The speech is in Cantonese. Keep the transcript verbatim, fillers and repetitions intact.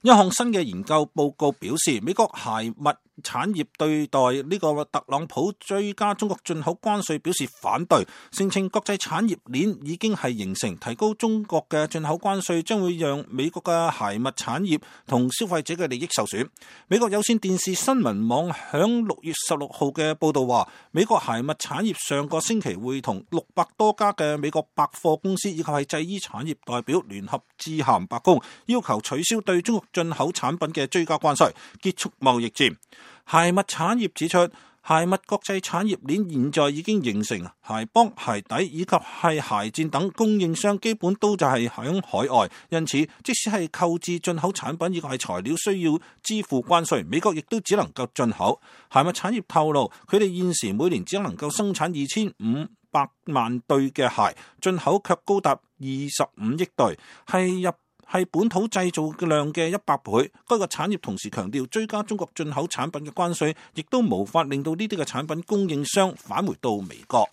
一項新嘅研究報告表示，美國鞋襪產業對待呢個特朗普追加中國進口關稅表示反對，聲稱國際產業鏈已經係形成，提高中國嘅進口關稅將會讓美國嘅鞋襪產業同消費者嘅利益受損。美國有線電視新聞網響六月十六號嘅報道話，美國鞋襪產業上個星期會同六百多家嘅美國百貨公司以及係製衣產業代表聯合致函白宮，要求取消對中國進口產品嘅追加關稅，結束貿易戰。鞋襪產業指出，鞋襪國際產業鏈現在已經形成，鞋幫、鞋底以及係鞋墊等供應商基本都就係響海外，因此即使係購置進口產品以及係材料需要支付關稅，美國亦都只能夠進口。鞋襪產業透露，佢哋現時每年只能夠生產二千五百萬對嘅鞋，進口卻高達二十五億對，係入係本土製造嘅量嘅一百倍。該個產業同時強調，追加中國進口產品嘅關稅，亦都無法令到呢啲嘅產品供應商返回到美國。